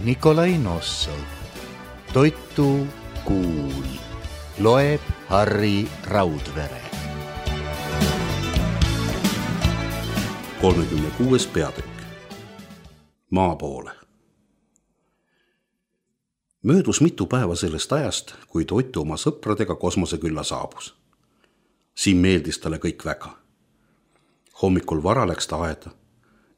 Nikolai Nossov. Toitu kuul. Loeb Harri Raudvere. 36. peatükk. Maa poole. Möödus mitu päeva sellest ajast, kui Toitu oma sõpradega kosmosekülla saabus. Siin meeldis talle kõik väga. Hommikul vara läks ta aeda,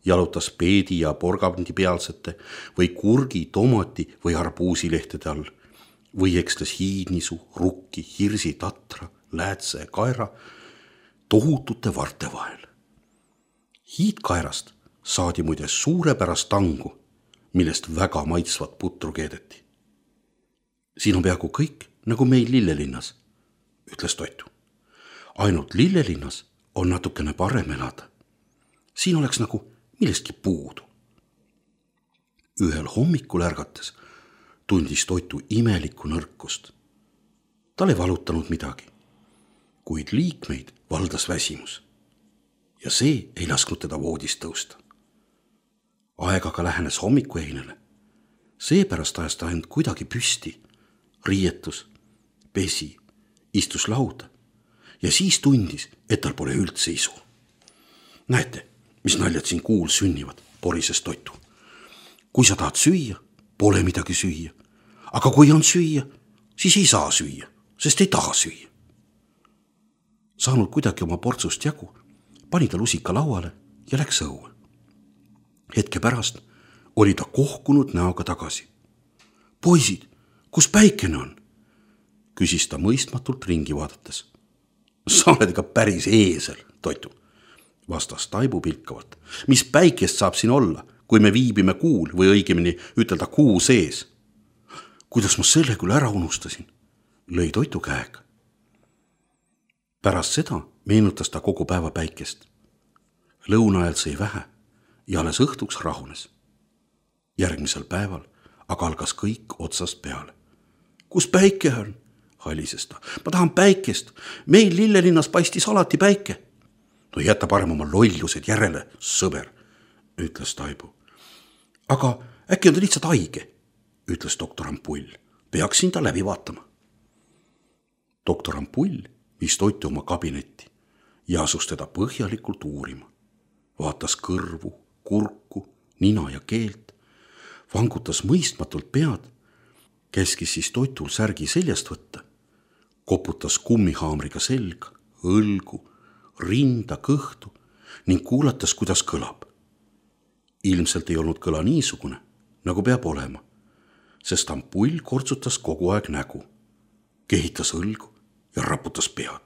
jalutas peedi ja porgandi pealsete või kurgi, tomati või arbuusilehtede all või ekstas hiidnisu, rukki, hirsi, tatra, läätse ja kaera tohutute varte vahel. Hiidkaerast saadi muide suurepärast tangu, millest väga maitsvat putru keedeti. Siin on peaaegu kõik nagu meil Lillelinnas, ütles Toitu. Ainult Lillelinnas on natukene parem elada. Siin oleks nagu millestki puudu. Ühel hommikul ärgates tundis Toitu imelikku nõrkust. Tal ei valutanud midagi, kuid liikmeid valdas väsimus ja see ei lasknud teda voodist tõusta. Aeg aga lähenes hommikueinele. Seepärast ajas ta end kuidagi püsti, riietus, pesi, istus lauda ja siis tundis, et tal pole üldse isu. Näete, mis naljad siin kuul sünnivad, porises Toitu. Kui sa tahad süüa, pole midagi süüa. Aga kui on süüa, siis ei saa süüa, sest ei taha süüa. Saanud kuidagi oma portsust jagu, pani ta lusika lauale ja läks õue. Hetke pärast oli ta kohkunud näoga tagasi. Poisid, kus päikene on? Küsis ta mõistmatult ringi vaadates. Sa oled ikka päris eesel, Toitu, vastas Taibu pilkavalt. Mis päikest saab siin olla, kui me viibime kuul või õigemini ütelda kuu sees? Kuidas ma selle küll ära unustasin, lõi Toitu käega. Pärast seda meenutas ta kogu päeva päikest. Lõuna ajal sõi vähe ja alles õhtuks rahunes. Järgmisel päeval aga algas kõik otsast peale. Kus päike on? Halises ta. Ma tahan päikest. Meil Lillelinnas paistis alati päike. No jäta parem oma lollused järele, sõber, ütles Taibu. Aga äkki on ta lihtsalt haige, ütles doktor Ampull. Peaksin ta läbi vaatama. Doktor Ampull viis Toitu oma kabinetti ja asus teda põhjalikult uurima. Vaatas kõrvu, kurku, nina ja keelt, vangutas mõistmatult pead, käskis siis Toitul särgi seljast võtta, koputas kummihaamriga selga, õlgu, rinda, kõhtu ning kuulatas, kuidas kõlab. Ilmselt ei olnud kõla niisugune, nagu peab olema, sest Ampull kortsutas kogu aeg nägu, kehitas õlgu ja raputas pead.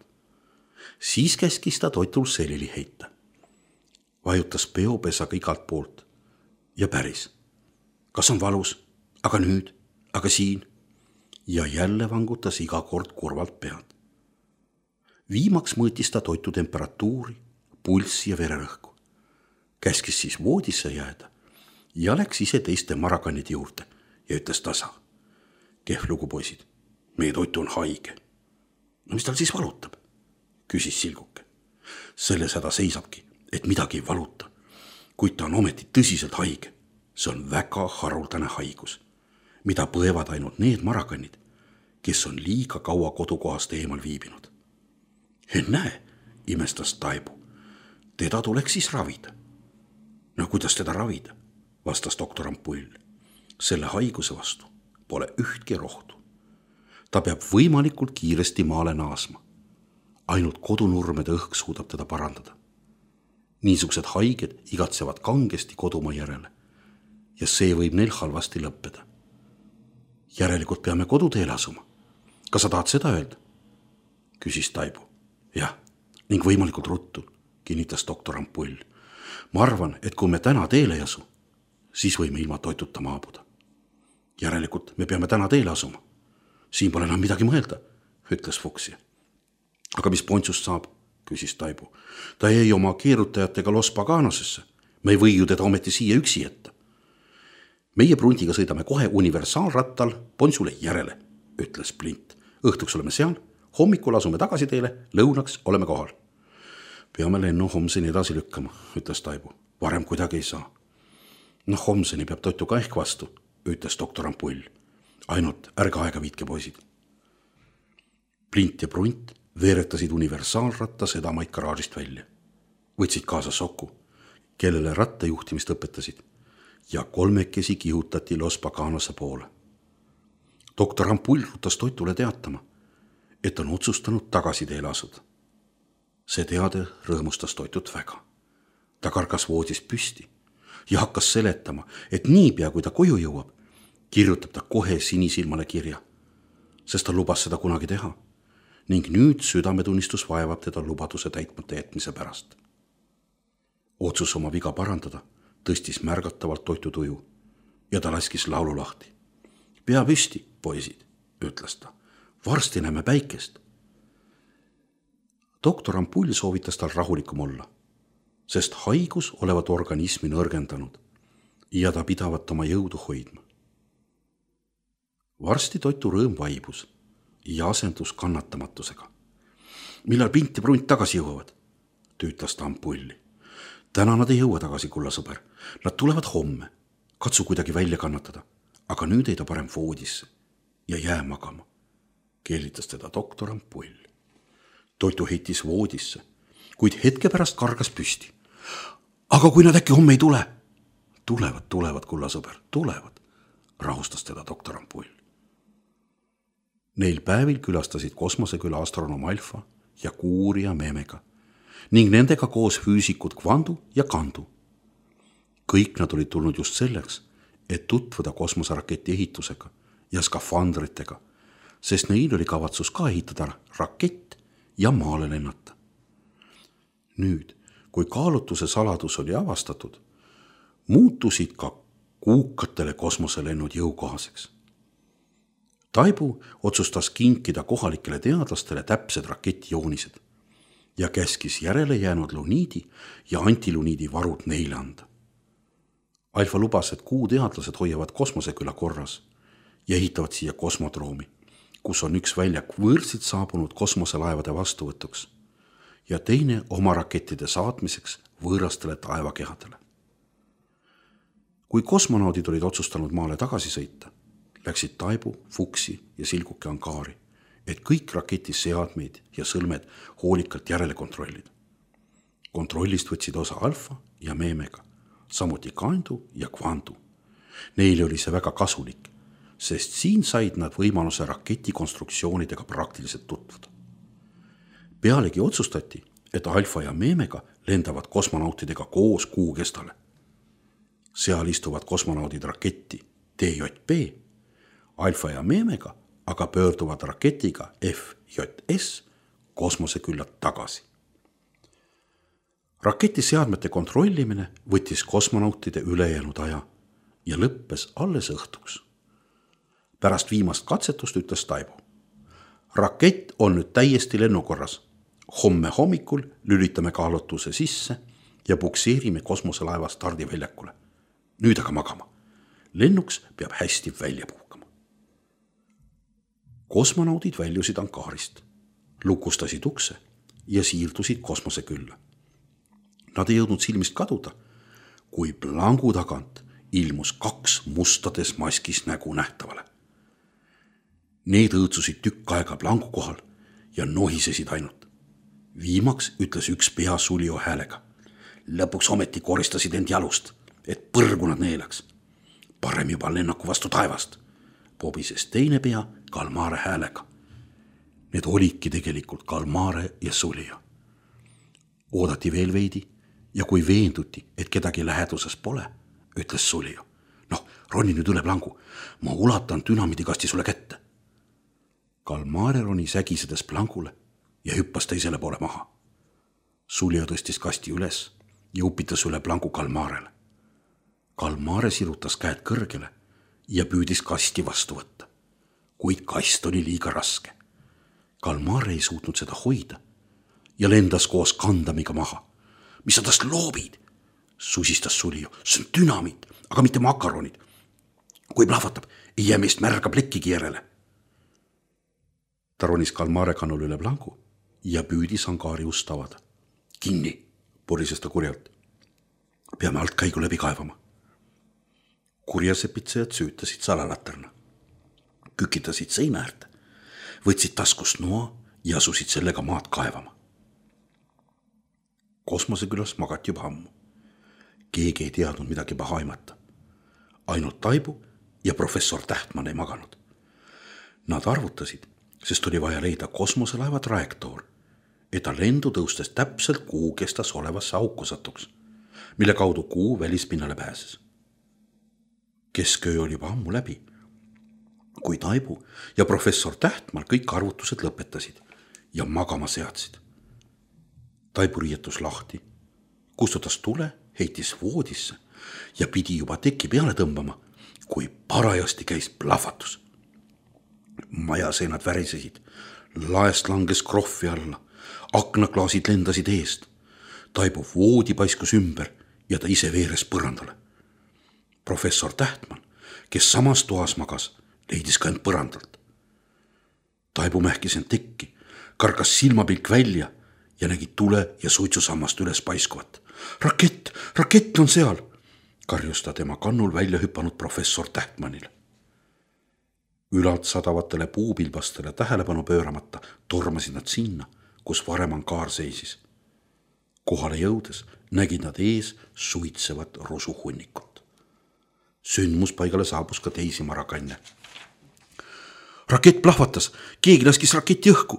Siis käskis ta Toitul selili heita. Vajutas peopesaga igalt poolt ja päris. Kas on valus? Aga nüüd? Aga siin? Ja jälle vangutas iga kord kurvalt pead. Viimaks mõõtis ta Toitu temperatuuri, pulssi ja vererõhku. Käskis siis voodisse jääda ja läks ise teiste marakannide juurde ja ütles tasa. Kehv lugu, poisid, meie Toitu on haige. No mis tal siis valutab? Küsis Silguke. Selles häda seisabki, et midagi ei valuta, kuid ta on ometi tõsiselt haige. See on väga haruldane haigus, mida põevad ainult need marakannid, kes on liiga kaua kodukohast eemal viibinud. Näe, imestas Taibu, teda tuleks siis ravida. No kuidas teda ravida, vastas doktor Ampull. Selle haiguse vastu pole ühtki rohtu. Ta peab võimalikult kiiresti maale naasma. Ainult kodunurmede õhk suudab teda parandada. Niisugused haiged igatsevad kangesti kodumaa järele ja see võib neil halvasti lõppeda. Järelikult peame koduteele asuma. Kas sa tahad seda öelda? Küsis Taibu. Jah, ning võimalikult ruttu, kinnitas doktor Ampull. Ma arvan, et kui me täna teele ei asu, siis võime ilma Toituta maabuda. Järelikult me peame täna teele asuma. Siin pole enam midagi mõelda, ütles Fuksja. Aga mis Pontsust saab? Küsis Taibu. Ta jäi oma keerutajatega Los Paganasesse. Me ei või ju teda ometi siia üksi jätta. Meie Pruntiga sõidame kohe universaalrattal Pontsule järele, ütles Plint. Õhtuks oleme seal, hommikul asume tagasi teele, lõunaks oleme kohal. Peame lennu homseni edasi lükkama, ütles Taibu. Varem kuidagi ei saa. Homseni peab Toitu ka ehk vastu, ütles doktor Ampull. Ainult ärge aega viitke, poisid. Plint ja Prunt veeretasid universaalratta sedamaid garaažist välja. Võtsid kaasa Soku, kellele rattajuhtimist õpetasid, ja kolmekesi kihutati Los Paganose poole. Doktor Ampull rutas Toitule teatama, et on otsustanud tagasi teele asuda. See teade rõõmustas Toitut väga. Ta kargas voodist püsti ja hakkas seletama, et niipea kui ta koju jõuab, kirjutab ta kohe sinisilmale kirja, sest ta lubas seda kunagi teha ning nüüd südametunnistus vaevab teda lubaduse täitmata jätmise pärast. Otsus oma viga parandada tõstis märgatavalt Toitu tuju ja ta laskis laulu lahti. Pea püsti, poisid, ütles ta. Varsti näeme päikest. Doktor Ampull soovitas tal rahulikum olla, sest haigus olevat organismi nõrgendanud ja ta pidavat oma jõudu hoidma. Varsti Toitu rõõm vaibus ja asendus kannatamatusega. Millal Pint ja Prunt tagasi jõuavad? Tüütas ta Ampulli. Täna nad ei jõua tagasi, kullasõber. Nad tulevad homme. Katsu kuidagi välja kannatada, aga nüüd ei ta parem voodisse ja jää magama. Keelitas teda doktor Ampull. Toitu heitis voodisse, kuid hetke pärast kargas püsti. Aga kui nad äkki homme ei tule? Tulevad, kullasõber, tulevad, rahustas teda doktor Ampull. Neil päevil külastasid kosmoseküla astronoom Alfa ja Kuurija Meemega ning nendega koos füüsikud Kvandu ja Kandu. Kõik nad olid tulnud just selleks, et tutvuda kosmoseraketi ehitusega ja skafandritega, sest neil oli kavatsus ka ehitada rakett ja maale lennata. Nüüd, kui kaalutluse saladus oli avastatud, muutusid ka kuukatele kosmoselennud jõukohaseks. Taibu otsustas kinkida kohalikele teadlastele täpsed raketijoonised ja käskis järele jäänud luniidi ja antiluniidi varud neile anda. Alfa lubas, et Kuu teadlased hoiavad kosmoseküla korras ja ehitavad siia kosmodroomi, kus on üks väljak võõrsilt saabunud kosmoselaevade vastuvõtuks ja teine oma rakettide saatmiseks võõrastele taevakehadele. Kui kosmonaudid olid otsustanud maale tagasi sõita, läksid Taibu, Fuksi ja Silguke angaari, et kõik raketi seadmeid ja sõlmed hoolikalt järele kontrollida. Kontrollist võtsid osa Alfa ja Meemega, samuti Kandu ja Kvandu. Neile oli see väga kasulik, sest siin said nad võimaluse raketi konstruktsioonidega praktiliselt tutvuda. Pealegi otsustati, et Alfa ja Meemega lendavad kosmonautidega koos Kuukestale. Seal istuvad kosmonaudid raketti TJP, Alfa ja Meemega aga pöörduvad raketiga FJS kosmosekülla tagasi. Raketi seadmete kontrollimine võttis kosmonautide ülejäänud aja ja lõppes alles õhtuks. Pärast viimast katsetust ütles Taibu. Rakett on nüüd täiesti lennukorras. Homme hommikul lülitame kaalutluse sisse ja pukseerime kosmoselaeva stardiväljakule. Nüüd aga magama. Lennuks peab hästi välja puhkama. Kosmonaudid väljusid angaarist, lukustasid ukse ja siirdusid kosmosekülla. Nad ei jõudnud silmist kaduda, kui plangu tagant ilmus 2 mustades maskis nägu nähtavale. Need õõtsusid tükk aega plangu kohal ja nohisesid ainult. Viimaks ütles üks pea Sulio häälega. Lõpuks ometi koristasid end jalust, et põrgu nad neelaks. Parem juba lennaku vastu taevast, pobises teine pea Kalmare häälega. Need olidki tegelikult Kalmare ja Sulio. Oodati veel veidi ja kui veenduti, et kedagi läheduses pole, ütles Sulio. Noh, roni nüüd üle plangu, ma ulatan dünamiidikasti sulle kätte. Kalmare roni sägisedes plangule ja hüppas teisele poole maha. Sulio tõstis kasti üles ja upitas üle plangu Kalmarele. Kalmare sirutas käed kõrgele ja püüdis kasti vastu võtta, kuid kast oli liiga raske. Kalmare ei suutnud seda hoida ja lendas koos kandamiga maha. Mis sa tast loobid? Susistas Sulio. See on dünamiit, aga mitte makaronid. Kui plahvatab, ei jää meist märga plekkigi järele. Ta ronis Kalmare kannul üle plangu ja püüdis angaari ust avada. Kinni, purises ta kurjalt. Peame alt käigu läbi kaevama. kurjasepitsejad süütasid salalaterna, kükitasid seina äärde, võtsid taskust noa ja asusid sellega maad kaevama. Kosmosekülas magati juba ammu. Keegi ei teadnud midagi paha aimata. Ainult Taibu ja professor Tähtmann ei maganud. Nad arvutasid, sest oli vaja leida kosmoselaeva trajektoor, et ta lendu tõustes täpselt kuu kestas olevasse auku satuks, mille kaudu kuu välispinnale pääses. Kesköö oli juba ammu läbi, kui Taibu ja professor Tähtmann kõik arvutused lõpetasid ja magama seadsid. Taibu riietus lahti, kustutas tule, heitis voodisse ja pidi juba teki peale tõmbama, kui parajasti käis plahvatus. Majaseinad värisesid, laest langes krohvi alla, aknaklaasid lendasid eest. Taibu voodi paiskus ümber ja ta ise veeres põrandale. Professor Tähtmann, kes samas toas magas, leidis ka end põrandalt. Taibu mähkis end tekki, kargas silmapilk välja ja nägi tule ja suitsusammast üles paiskuvat. Rakett on seal, karjus ta tema kannul välja hüpanud professor Tähtmannile. Ülalt sadavatele puupilbastele tähelepanu pööramata tormasid nad sinna, kus varem ankaar seisis. Kohale jõudes nägid nad ees suitsevat rusuhunnikut. Sündmuspaigale saabus ka teisi marakanne. Rakett plahvatas, keegi laskis raketi õhku,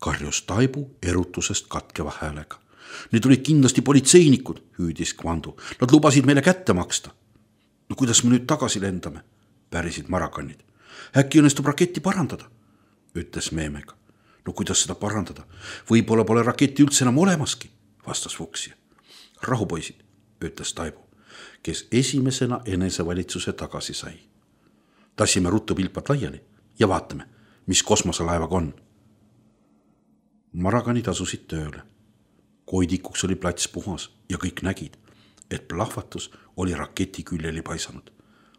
karjus Taibu erutusest katkeva häälega. Need olid kindlasti politseinikud, hüüdis Kvandu. Nad lubasid meile kätte maksta. No kuidas me nüüd tagasi lendame, pärisid marakannid. Äkki õnnestub raketti parandada, ütles Meemega. No kuidas seda parandada? Võib-olla pole raketti üldse enam olemaski, vastas Fuksja. Rahupoisid, ütles Taibu, kes esimesena enesevalitsuse tagasi sai. Tassime ruttu pilpad laiali ja vaatame, mis kosmoselaevaga on. Marakanid asusid tööle. Koidikuks oli plats puhas ja kõik nägid, et plahvatus oli raketi küljeli paisanud,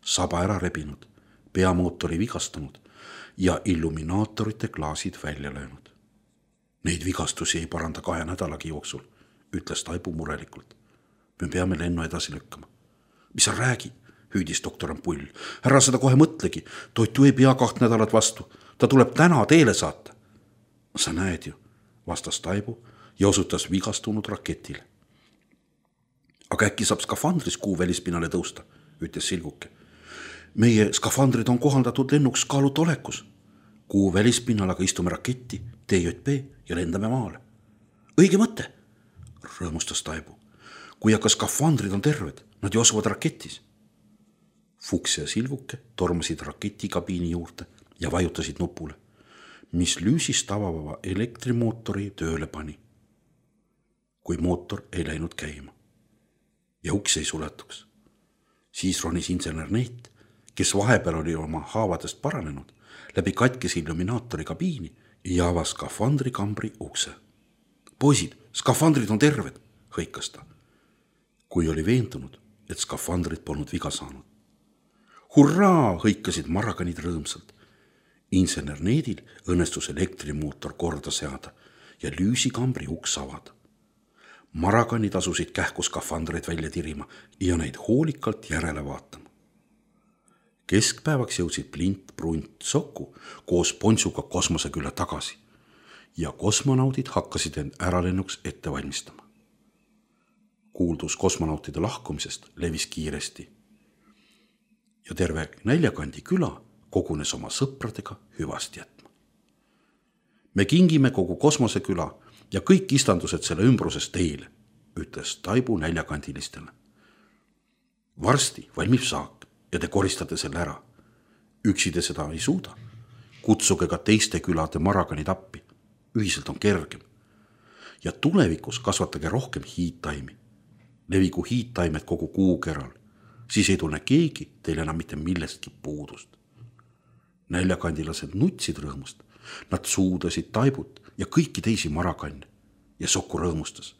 saba ära rebinud, peamootori vigastanud ja illuminaatorite klaasid välja löönud. Neid vigastusi ei paranda 2 nädalagi jooksul, ütles Taibu murelikult. Me peame lennu edasi lükkama. Mis sa räägid, hüüdis doktor Ampull. Ära seda kohe mõtlegi, Toitu ei pea 2 nädalat vastu, ta tuleb täna teele saata. Sa näed ju, vastas Taibu ja osutas vigastunud raketile. Aga äkki saab skafandris kuu välispinnale tõusta, ütles Silguke. Meie skafandrid on kohandatud lennuks kaaluta olekus. Kuu välispinnal aga istume raketti, TJP ja lendame maale. Õige mõte, rõõmustas Taibu. Kui aga skafandrid on terved, nad ju asuvad raketis. Fuks ja Silguke tormasid raketikabiini juurde ja vajutasid nupule, mis lüüsist avava elektrimootori tööle pani. Kui mootor ei läinud käima ja uks ei suletuks. Siis ronis insener Neet, kes vahepeal oli oma haavadest paranenud, läbi katkes illuminaatori kabiini ja avas skafandri kambri ukse. Poisid, skafandrid on terved, hõikas ta, kui oli veendunud, et skafandrid polnud viga saanud. Hurraa, hõikasid marakanid rõõmsalt. Insener Needil õnnestus elektrimootor korda seada ja lüüsikambri uks avada. Marakanid asusid kähku skafandreid välja tirima ja neid hoolikalt järele vaatama. Keskpäevaks jõudsid Plint, Brunt, Soku koos Ponsuga kosmosekülla tagasi ja kosmonaudid hakkasid end äralennuks ette valmistama. Kuuldus kosmonautide lahkumisest levis kiiresti ja terve Näljakandi küla kogunes oma sõpradega hüvast jätma. Me kingime kogu kosmoseküla ja kõik istandused selle ümbruses teile, ütles Taibu Näljakandilistele. Varsti valmib saak ja te koristate selle ära. Üksi te seda ei suuda. Kutsuge ka teiste külade marakanid appi. Ühiselt on kergem. Ja tulevikus kasvatage rohkem hiidtaimi. Levigu hiidtaimed kogu kuukeral. Siis ei tunne keegi teile enam mitte millestki puudust. Näljakandilased nutsid rõõmust. Nad suudasid Taibut ja kõiki teisi marakanne ja Soku rõõmustas.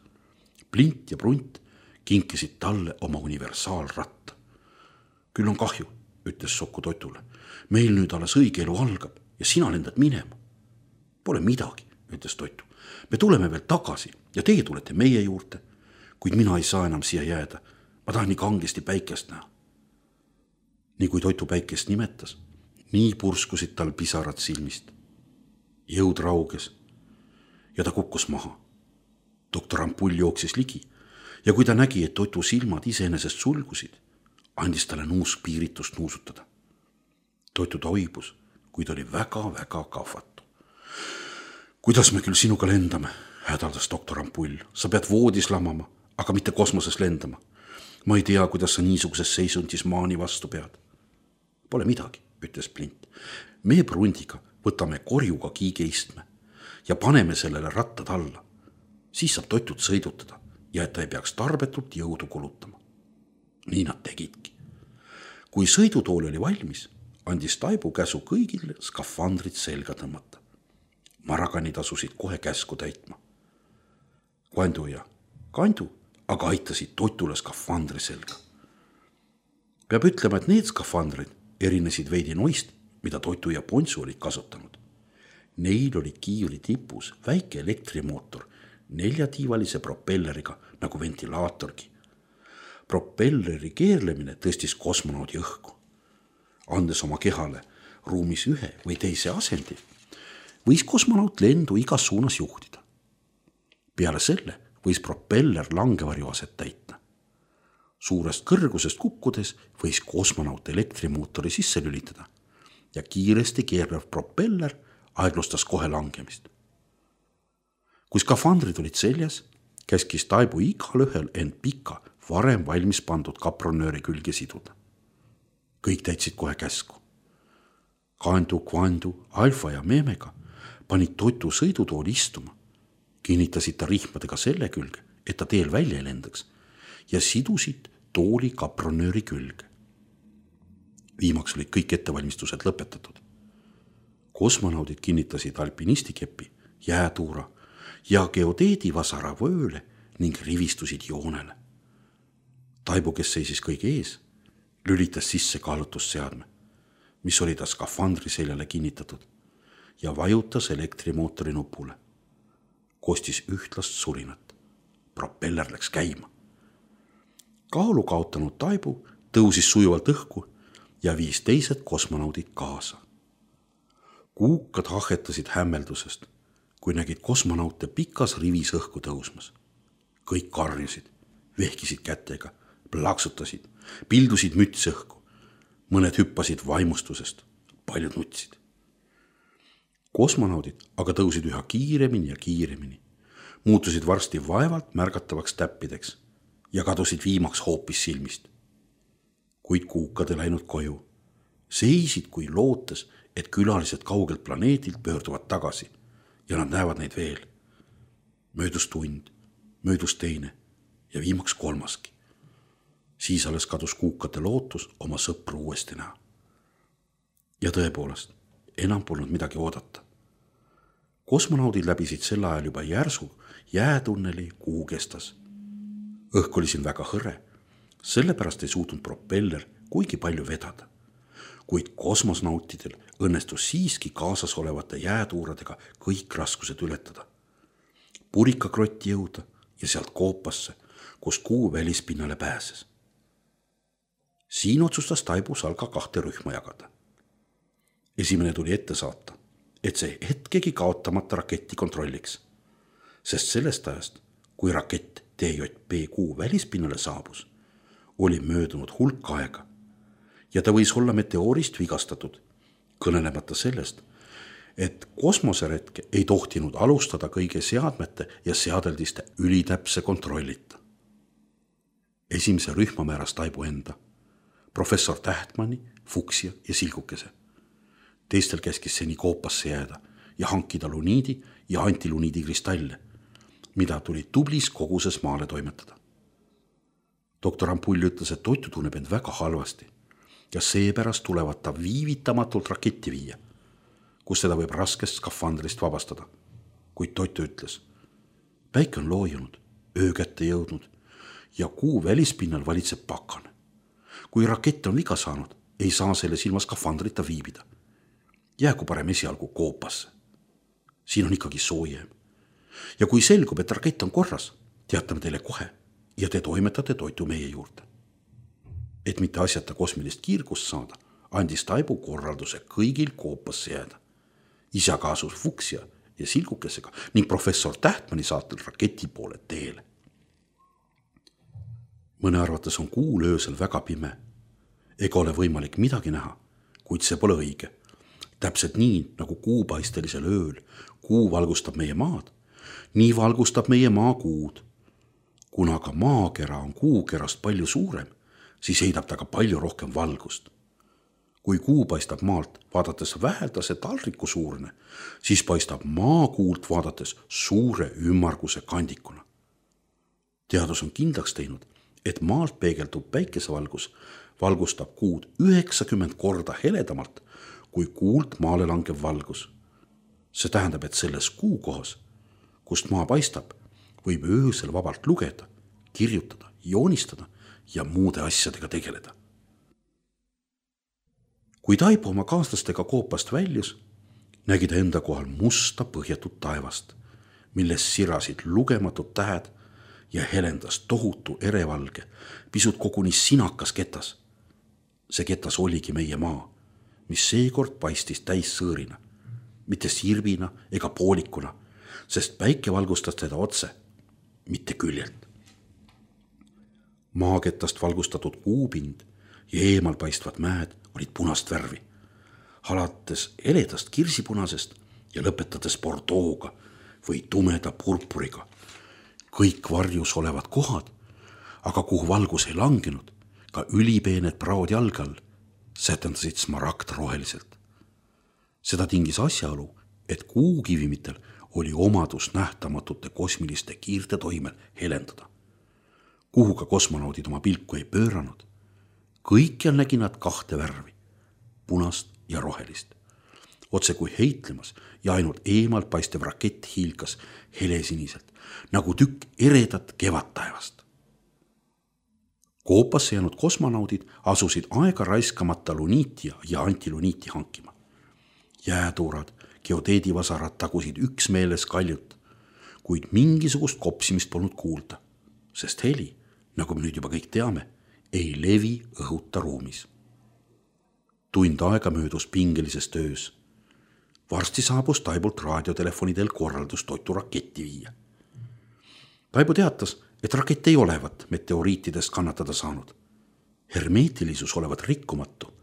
Plint ja Brunt kinkisid talle oma universaalratta. Küll on kahju, ütles Soku Totule. Meil nüüd alles õige elu algab ja sina lendad minema. Pole midagi, ütles Totu. Me tuleme veel tagasi ja teie tulete meie juurde, kuid mina ei saa enam siia jääda. Ma tahan nii kangesti päikest näha. nii kui toitupäikest nimetas, nii purskusid tal pisarad silmist. Jõud rauges ja ta kukkus maha. Doktor Ampull jooksis ligi ja kui ta nägi, et toitu silmad iseenesest sulgusid, andis talle nuusk piiritust nuusutada. Toitu toibus, kuid oli väga-väga kahvatu. Kuidas me küll sinuga lendame, hädaldas doktor Ampull. Sa pead voodis lamama, aga mitte kosmoses lendama. Ma ei tea, kuidas sa niisuguses seisundis maani vastu pead. Pole midagi, ütles Plint. Me Brundiga võtame korjuga kiigeistme ja paneme sellele rattad alla. Siis saab toitut sõidutada ja et ta ei peaks tarbetult jõudu kulutama. Nii nad tegidki. Kui sõidutool oli valmis, andis Taibu käsu kõigile skafandrid selga tõmmata. Maraganid asusid kohe käsku täitma. Kvandu ja Kandu aga aitasid toitule skafandri selga. Peab ütlema, et need skafandrid erinesid veidi noist, mida Toitu ja Pontsu olid kasutanud. Neil oli kiivri tipus väike elektrimootor 4-tiivalise propelleriga nagu ventilaatorgi. Propelleri keerlemine tõstis kosmonaudi õhku. Andes oma kehale ruumis ühe või teise asendi, võis kosmonaut lendu igas suunas juhtida. Peale selle võis propeller langevarju aset täita. Suurest kõrgusest kukkudes võis kosmonaut elektrimootori sisse lülitada ja kiiresti keerlev propeller aeglustas kohe langemist. Kui skafandrid olid seljas, käskis Taibu igal ühel end pika, varem valmis pandud kapronööri külge siduda. Kõik täitsid kohe käsku. Kandu, Kvandu, Alfa ja Meemega panid Toitu sõidutooli istuma, kinnitasid ta rihmadega selle külge, et ta teel välja ei lendaks ja sidusid tooli kapronööri külge. Viimaks olid kõik ettevalmistused lõpetatud. Kosmonaudid kinnitasid alpinistikeppi, jäätuura ja geodeedi vasara vööle ning rivistusid joonele. Taibu, kes seisis kõige ees, lülitas sisse kaalutusseadme, mis oli ta skafandri seljale kinnitatud ja vajutas elektrimootori nupule. Kostis ühtlast surinat. Propeller läks käima. Kaalu kaotanud Taibu tõusis sujuvalt õhku ja viis teised kosmonaudid kaasa. Kuukad hahetasid hämmeldusest, kui nägid kosmonaute pikas rivis õhku tõusmas. Kõik karjusid, vehkisid kätega, plaksutasid, pildusid müts õhku. Mõned hüppasid vaimustusest, paljud nutsid. Kosmonaudid aga tõusid üha kiiremini ja kiiremini, muutusid varsti vaevalt märgatavaks täppideks ja kadusid viimaks hoopis silmist. Kuid kuukad ei läinud koju, seisid kui lootes, et külalised kaugelt planeedilt pöörduvad tagasi ja nad näevad neid veel. Möödus tund, möödus teine ja viimaks kolmaski. Siis alles kadus kuukate lootus oma sõpru uuesti näha. Ja tõepoolest, enam polnud midagi oodata. Kosmonaudid läbisid sel ajal juba järsu jäätunneli kuu kestas. Õhk oli siin väga hõre, sellepärast ei suutnud propeller kuigi palju vedada. Kuid kosmosnautidel õnnestus siiski kaasas olevate jäätuuradega kõik raskused ületada. Purikakrotti jõuda ja sealt koopasse, kus kuu välispinnale pääses. Siin otsustas Taibu Salga 2 rühma jagada. Esimene tuli ette saata, et see hetkegi kaotamata raketti kontrolliks, sest sellest ajast, kui rakett TJP kuu välispinnale saabus, oli möödunud hulk aega ja ta võis olla meteoorist vigastatud, kõnelemata sellest, et kosmoseretke ei tohtinud alustada kõige seadmete ja seadeldiste ülitäpse kontrollita. Esimese rühma määras Taibu enda, professor Tähtmanni, Fuksia ja Silgukese. Teistel käskis seni koopasse jääda ja hankida luniidi ja antiluniidi kristalle, mida tuli tublis koguses maale toimetada. Doktor Ampull ütles, et Toitu tunneb end väga halvasti ja seepärast tulevad ta viivitamatult raketti viia, kus teda võib raskest skafandrist vabastada. Kuid Toitu ütles, päike on loojunud, öö kätte jõudnud ja kuu välispinnal valitseb pakane. Kui rakett on viga saanud, ei saa selles ilma skafandrita viibida. Jäägu parem esialgu koopasse. Siin on ikkagi soojem. Ja kui selgub, et rakett on korras, teatame teile kohe ja te toimetate Toitu meie juurde. Et mitte asjata kosmilist kiirgust saada, andis Taibu korralduse kõigil koopasse jääda. Isa kaasus Fuchsia ja Silgukesega ning professor Tähtmani saatel raketi poole teele. Mõne arvates on kuul öösel väga pime. Ega ole võimalik midagi näha, kuid see pole õige. Täpselt nii, nagu kuupaistelisel ööl kuu valgustab meie maad, nii valgustab meie maa kuud. Kuna aga maakera on kuukerast palju suurem, siis heidab ta ka palju rohkem valgust. Kui kuu paistab maalt vaadates väheldase talriku suurne, siis paistab maakuult vaadates suure ümmarguse kandikuna. Teadus on kindlaks teinud, et maalt peegeldub päikesevalgus valgustab kuud 90 korda heledamalt kui kuult maale langev valgus. See tähendab, et selles kuukohas, kust maa paistab, võib öösel vabalt lugeda, kirjutada, joonistada ja muude asjadega tegeleda. Kui Taibu oma kaaslastega koopast väljus, nägi ta enda kohal musta põhjatut taevast, milles sirasid lugematud tähed ja helendas tohutu erevalge, pisut koguni sinakas ketas. See ketas oligi meie maa, mis seekord paistis täis sõõrina, mitte sirvina ega poolikuna, sest päike valgustas teda otse, mitte küljelt. Maaketast valgustatud kuupind ja eemal paistvad mäed olid punast värvi, alates eledast kirsipunasest ja lõpetades bordooga või tumeda purpuriga. Kõik varjus olevad kohad, aga kuhu valgus ei langenud, ka ülipeened praod jalge all, sätendasid smaragd roheliselt. Seda tingis asjaolu, et kuukivimitel oli omadus nähtamatute kosmiliste kiirte toimel helendada. Kuhu ka kosmonaudid oma pilku ei pööranud, kõikjal nägi nad kahte värvi, punast ja rohelist. Otse kui heitlemas ja ainult eemalt paistev rakett hiilkas helesiniselt, nagu tükk eredat kevadtaevast. Koopasse jäänud kosmonaudid asusid aega raiskamata luniitia ja antiluniiti hankima. Jäätuurad, geodeedivasarad tagusid üksmeeles kaljut, kuid mingisugust kopsimist polnud kuulda, sest heli, nagu me nüüd juba kõik teame, ei levi õhuta ruumis. Tund aega möödus pingelises töös. Varsti saabus Taibult raadiotelefonidel korraldus toitu raketti viia. Taibu teatas, et rakett ei olevat meteoriitidest kannatada saanud. Hermeetilisus olevat rikkumatu,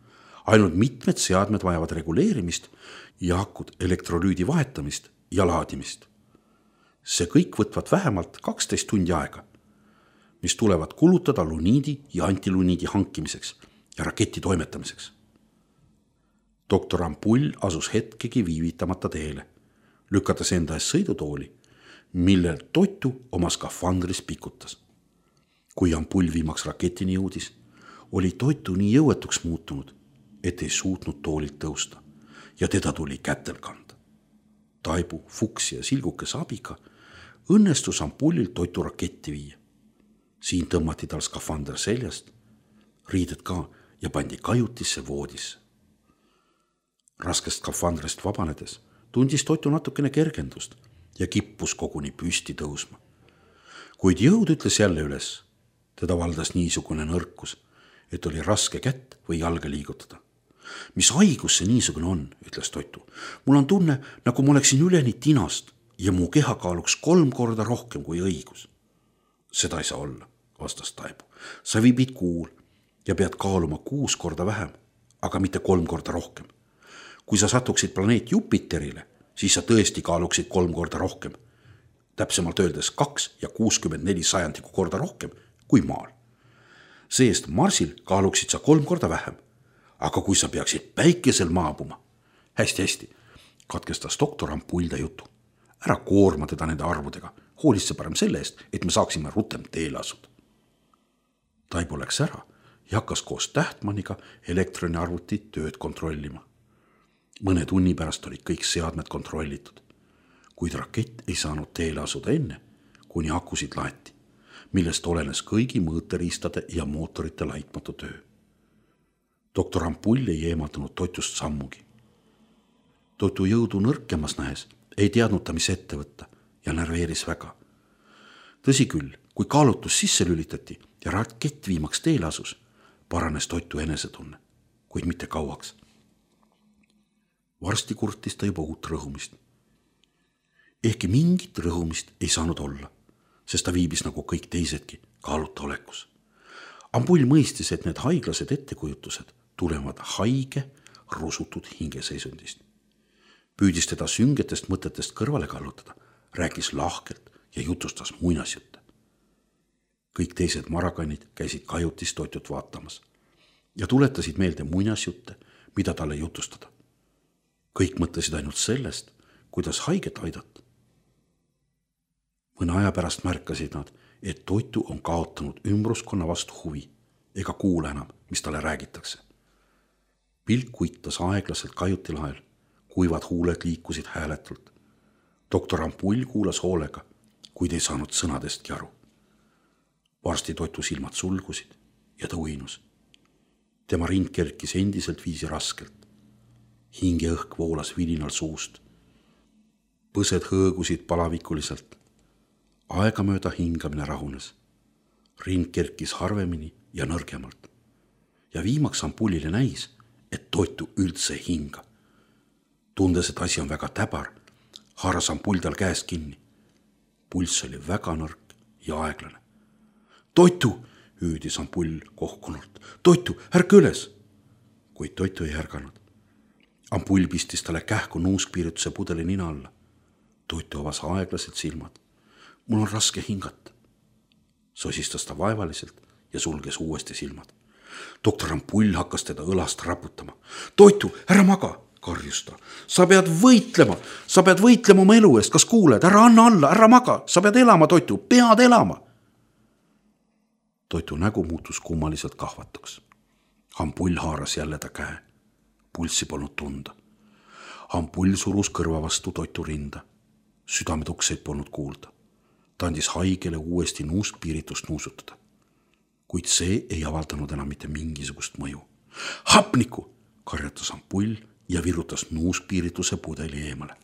ainult mitmed seadmed vajavad reguleerimist ja akud elektrolüüdi vahetamist ja laadimist. See kõik võtvad vähemalt 12 tundi aega, mis tulevad kulutada luniidi ja antiluniidi hankimiseks ja raketi toimetamiseks. Doktor Ampull asus hetkegi viivitamata teele, lükates enda ees sõidutooli, millel toitu oma skafandris pikutas. Kui Ampull viimaks raketini jõudis, oli toitu nii jõuetuks muutunud, et ei suutnud toolilt tõusta ja teda tuli kätel kanda. Taibu, Fuchsia ja Silgukese abiga õnnestus Ampullil toitu raketti viia. Siin tõmmati tal skafander seljast, riided ka ja pandi kajutisse voodisse. Raskest skafandrist vabanedes tundis toitu natukene kergendust ja kippus koguni püsti tõusma. Kuid jõud ütles jälle üles, teda valdas niisugune nõrkus, et oli raske kätt või jalga liigutada. Mis haigus see niisugune on, ütles toitu. Mul on tunne, nagu ma oleksin üleni tinast ja mu keha kaaluks 3 korda rohkem kui õigus. Seda ei saa olla, vastas Taibu. Sa viibid kuul ja pead kaaluma 6 korda vähem, aga mitte 3 korda rohkem. Kui sa satuksid planeet Jupiterile, siis sa tõesti kaaluksid 3 korda rohkem. Täpsemalt öeldes 2 ja 64 sajandiku korda rohkem kui maal. Seest Marsil kaaluksid sa 3 korda vähem. Aga kui sa peaksid päikesel maabuma, hästi, katkestas doktor Ampulda jutu. Ära koorma teda nende arvudega, hoolitse parem selle eest, et me saaksime rutem teele asuda. Taibu läks ära ja hakkas koos Tähtmaniga elektroniarvutit tööd kontrollima. Mõne tunni pärast olid kõik seadmed kontrollitud, kuid rakett ei saanud teele asuda enne, kuni akusid laeti, millest olenes kõigi mõõteriistade ja mootorite laitmatu töö. Doktor Ampull ei eemaldunud toitust sammugi. Toitu jõudu nõrkemas nähes ei teadnud ta, mis ette võtta ja närveeris väga. Tõsi küll, kui kaalutus sisse lülitati ja rakett viimaks teele asus, paranes Toitu enesetunne, kuid mitte kauaks. Varsti kurtis ta juba uut rõhumist. Ehkki mingit rõhumist ei saanud olla, sest ta viibis nagu kõik teisedki kaaluta olekus. Ampull mõistis, et need haiglased ettekujutused tulevad haige, rusutud hingeseisundist. Püüdis teda süngetest mõtetest kõrvale kallutada, rääkis lahkelt ja jutustas muinasjutte. Kõik teised marakannid käisid kajutis Toitut vaatamas ja tuletasid meelde muinasjutte, mida talle jutustada. Kõik mõtlesid ainult sellest, kuidas haiget aidata. Mõne aja pärast märkasid nad, et Toitu on kaotanud ümbruskonna vastu huvi ega kuula enam, mis talle räägitakse. Pilk kuitas aeglaselt kajutilahel, kuivad huuled liikusid hääletult. Doktor Ampull kuulas hoolega, kuid ei saanud sõnadestki aru. Varsti Toitu silmad sulgusid ja ta uinus. Tema rind kerkis endiselt viisi raskelt. Hingeõhk voolas vilinal suust. Põsed hõõgusid palavikuliselt. Aegamööda hingamine rahunes. Rind kerkis harvemini ja nõrgemalt. Ja viimaks Ampullile näis, et Toitu üldse hinga. Tundes, et asi on väga täbar, haaras Ampull tal käest kinni. Pulss oli väga nõrk ja aeglane. Toitu, hüüdis Ampull kohkunult. Toitu, ärka üles! Kuid Toitu ei ärganud. Ampull pistis talle kähku nuuskpiirituse pudeli nina alla. Toitu avas aeglaselt silmad. Mul on raske hingata. Sosistas ta vaevaliselt ja sulges uuesti silmad. Doktor Ampull hakkas teda õlast raputama. Toitu, ära maga, karjus ta. Sa pead võitlema oma elu eest, kas kuuled? Ära anna alla, ära maga, sa pead elama, Toitu, pead elama. Toitu nägu muutus kummaliselt kahvatuks. Ampull haaras jälle ta käe. Pulssi polnud tunda. Ampull surus kõrva vastu Toitu rinda. Südametukseid polnud kuulda. Ta andis haigele uuesti nuuskpiiritust nuusutada. Kuid see ei avaldanud enam mitte mingisugust mõju. Hapniku, karjatas Ampull ja virutas nuuskpiirituse pudeli eemale.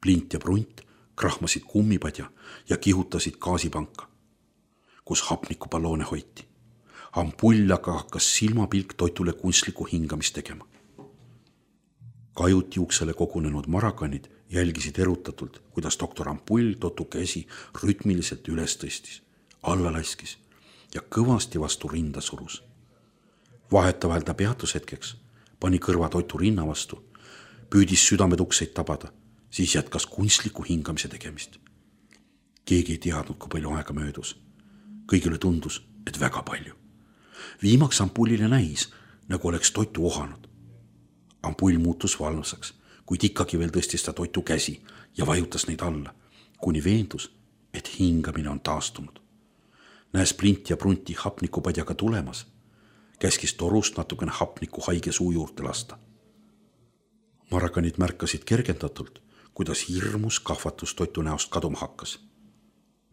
Plint ja Prunt krahmasid kummipadja ja kihutasid gaasipanka, kus hapnikupalloone hoiti. Ampull aga hakkas silmapilk Toitule kunstliku hingamist tegema. Kajuti uksele kogunenud marakannid jälgisid erutatult, kuidas doktor Ampull Toitu käsi rütmiliselt üles tõstis, alla laskis ja kõvasti vastu rinda surus. Vahetavahel ta peatus hetkeks, pani kõrva Toitu rinna vastu, püüdis südametukseid tabada, siis jätkas kunstliku hingamise tegemist. Keegi ei teadnud, kui palju aega möödus. Kõigile tundus, et väga palju. Viimaks Ampullile näis, nagu oleks Toitu ohanud. Ampull muutus valvsaks, kuid ikkagi veel tõstis ta Toitu käsi ja vajutas neid alla, kuni veendus, et hingamine on taastunud. Näes Plint ja Prunti hapnikupadjaga tulemas, käskis torust natukene hapniku haige suu juurde lasta. Marakanid märkasid kergendatult, kuidas hirmus kahvatus Toitu näost kaduma hakkas.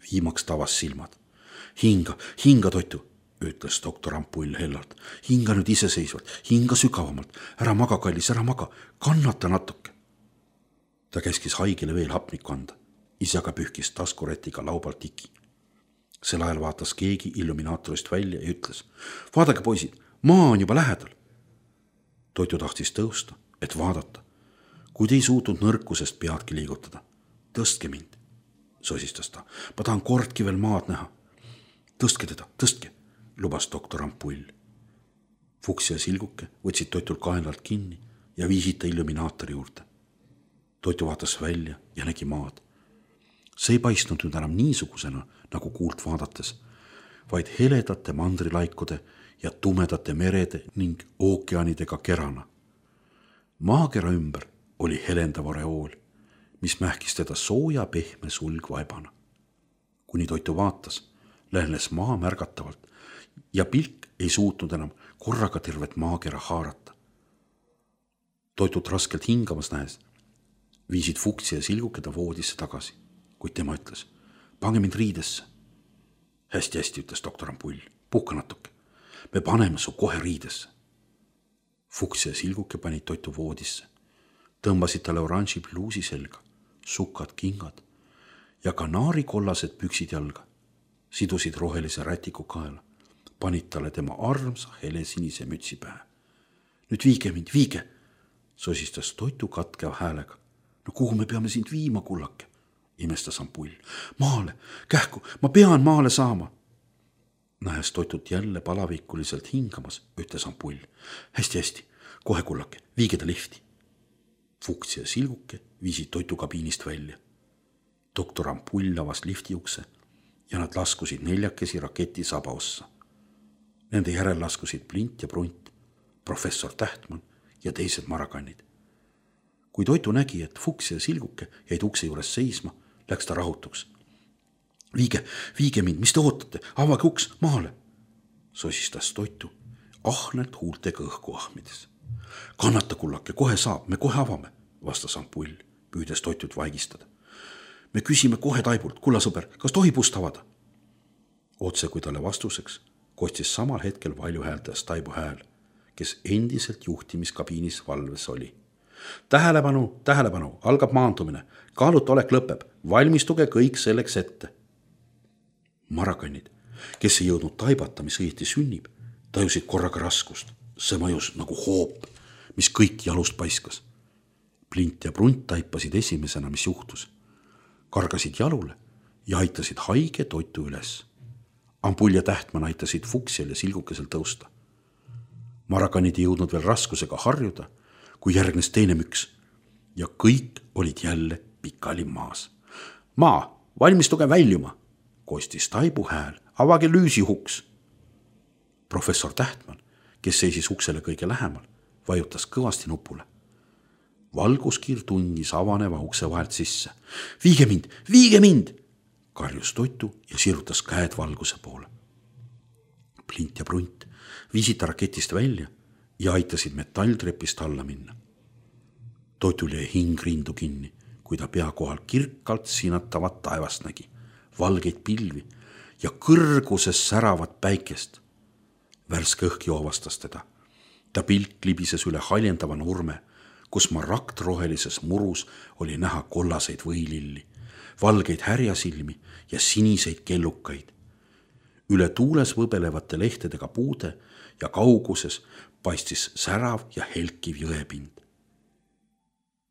Viimaks tavas silmad. Hinga Toitu, ütles doktor Ampull hellalt. Hinga nüüd iseseisvalt, hinga sügavamalt. Ära maga, kallis, ära maga, kannata natuke. Ta käskis haigele veel hapnikku anda. Ise aga pühkis taskuretiga laubalt tiki. Sel ajal vaatas keegi illuminaatorist välja ja ütles. Vaadake, poisid, maa on juba lähedal. Toitu tahtis tõusta, et vaadata, kuid ei suutnud nõrkusest peadki liigutada. Tõstke mind, sosistas ta. Ma tahan kordki veel maad näha. Tõstke teda, tõstke, lubas doktor Ampull. Fuks ja Silguke võtsid Toitul kaenlalt kinni ja viisid ta illuminaatori juurde. Toitu vaatas välja ja nägi maad. See ei paistnud nüüd enam niisugusena, nagu kuult vaadates, vaid heledate mandrilaikude ja tumedate merede ning ookeanidega kerana. Maakera ümber oli helendav oreool, mis mähkis teda sooja pehme sulgvaibana. Kuni Toitu vaatas, lähenes maa märgatavalt ja pilk ei suutnud enam korraga tervet maakera haarata. Toitut raskelt hingamas näes, viisid Fuksi ja Silguke ta voodisse tagasi, kuid tema ütles, pange mind riidesse. Hästi, ütles doktor Ampull, puhka natuke, me paneme su kohe riidesse. Fuks ja Silguke panid Toitu voodisse, tõmbasid talle oranži pluusi selga, sukad kingad ja kanaarikollased püksid jalga, sidusid rohelise rätiku kaela, panid talle tema armsa helesinise mütsi pähe. Nüüd viige mind, viige, sosistas Toitu katkev häälega. No kuhu me peame sind viima, kullake, imestas Ampull. Maale, kähku, ma pean maale saama. Nähes Toitut jälle palavikuliselt hingamas, ütles Ampull. Hästi, kohe kullake, viige ta lifti. Fuks ja Silguke viisid Toitu kabiinist välja. Doktor Ampull avas lifti ukse ja nad laskusid 4 raketi saba ossa. Nende järel laskusid Plint ja Prunt, professor Tähtmann ja teised marakannid. Kui Toitu nägi, et Fuks ja Silguke jäid ukse juures seisma, läks ta rahutuks. Viige mind, mis te ootate, avage uks maale, sosistas Toitu, ahnelt huultega õhku ahmides. Kannata, kullake, kohe saab, me kohe avame, vastas Ampull, püüdes Toitut vaigistada. Me küsime kohe Taibult, kulla sõber, kas tohib ust avada? Otse kui talle vastuseks kostis samal hetkel valjuhääldas Taibu hääl, kes endiselt juhtimiskabiinis valves oli. Tähelepanu, algab maandumine, kaaluta olek lõpeb, valmistuge kõik selleks ette. Marakannid, kes ei jõudnud taibata, mis õieti sünnib, tajusid korraga raskust. See mõjus nagu hoop, mis kõik jalust paiskas. Plint ja Prunt taipasid esimesena, mis juhtus. Kargasid jalule ja aitasid haige Toitu üles. Ampull ja Tähtmann aitasid Fuksel ja Silgukesel tõusta. Marakannid ei jõudnud veel raskusega harjuda, kui järgnes teine müks ja kõik olid jälle pikali maas. Maa, valmistuge väljuma, kostis Taibu hääl, avage lüüsihuks. Professor Tähtmann, kes seisis uksele kõige lähemal, vajutas kõvasti nupule. Valguskiir tungis avaneva ukse vahelt sisse. Viige mind, karjus Toitu ja sirutas käed valguse poole. Plint ja Prunt viisid ta raketist välja ja aitasid metalltrepist alla minna. Toitul jäi hing rindu kinni, kui ta pea kohal kirkalt sinatavat taevast nägi, valgeid pilvi ja kõrguses säravat päikest. Värske õhk joovastas teda. Ta pilk libises üle haljendava nurme, kus maragtrohelises murus oli näha kollaseid võililli, valgeid härjasilmi ja siniseid kellukaid. Üle tuules võbelevate lehtedega puude ja kauguses paistis särav ja helkiv jõepind.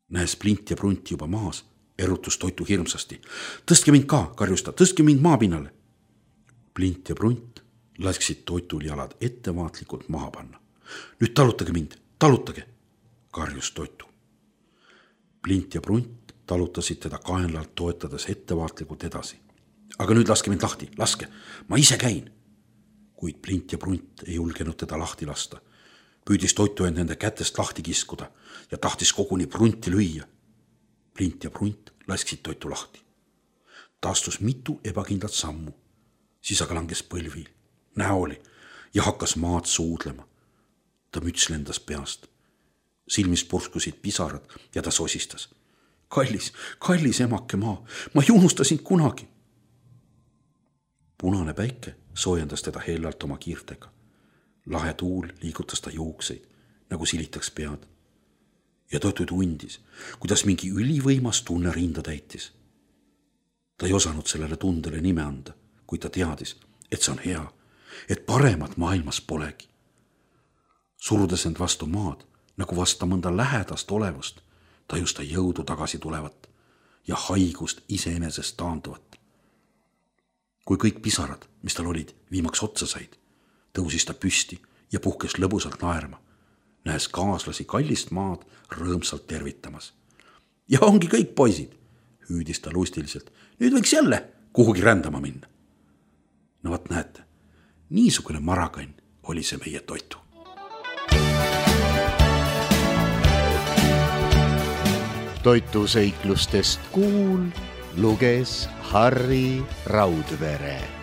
Näes Plint ja Prunt juba maas, erutus Toitu hirmsasti. Tõstke mind ka, karjus ta, tõstke mind maapinnale. Plint ja Prunt lasksid Toitul jalad ettevaatlikult maha panna. Nüüd talutage mind, talutage, karjus Toitu. Plint ja Prunt talutasid teda kaenlalt toetades ettevaatlikult edasi. Aga nüüd laske mind lahti, laske, ma ise käin. Kuid Plint ja Prunt ei julgenud teda lahti lasta. Püüdis Toitu end nende kätest lahti kiskuda ja tahtis koguni Prunti lüüa. Plint ja Prunt lasksid Toitu lahti. Ta astus mitu ebakindlat sammu, siis aga langes põlvi, näoli ja hakkas maad suudlema. Ta müts lendas peast. Silmis purskusid pisarad ja ta sosistas. Kallis emake maa, ma ei unusta sind kunagi. Punane päike soojendas teda hellalt oma kiirtega. Lahe tuul liigutas ta juukseid, nagu silitaks pead. Ja Toitu tundis, kuidas mingi ülivõimas tunne rinda täitis. Ta ei osanud sellele tundele nime anda, kuid ta teadis, et see on hea, et paremat maailmas polegi. Surudes end vastu maad, nagu vasta mõnda lähedast olevust, tajus ta jõudu tagasi tulevat ja haigust iseenesest taanduvat. Kui kõik pisarad, mis tal olid, viimaks otsa said, tõusis ta püsti ja puhkes lõbusalt naerma, nähes kaaslasi kallist maad rõõmsalt tervitamas. Ja ongi kõik, poisid, hüüdis ta lustiliselt. Nüüd võiks jälle kuhugi rändama minna. No vot näete, niisugune marakann oli see meie Toitu. Toitu seiklustest kuul luges Harri Raudvere.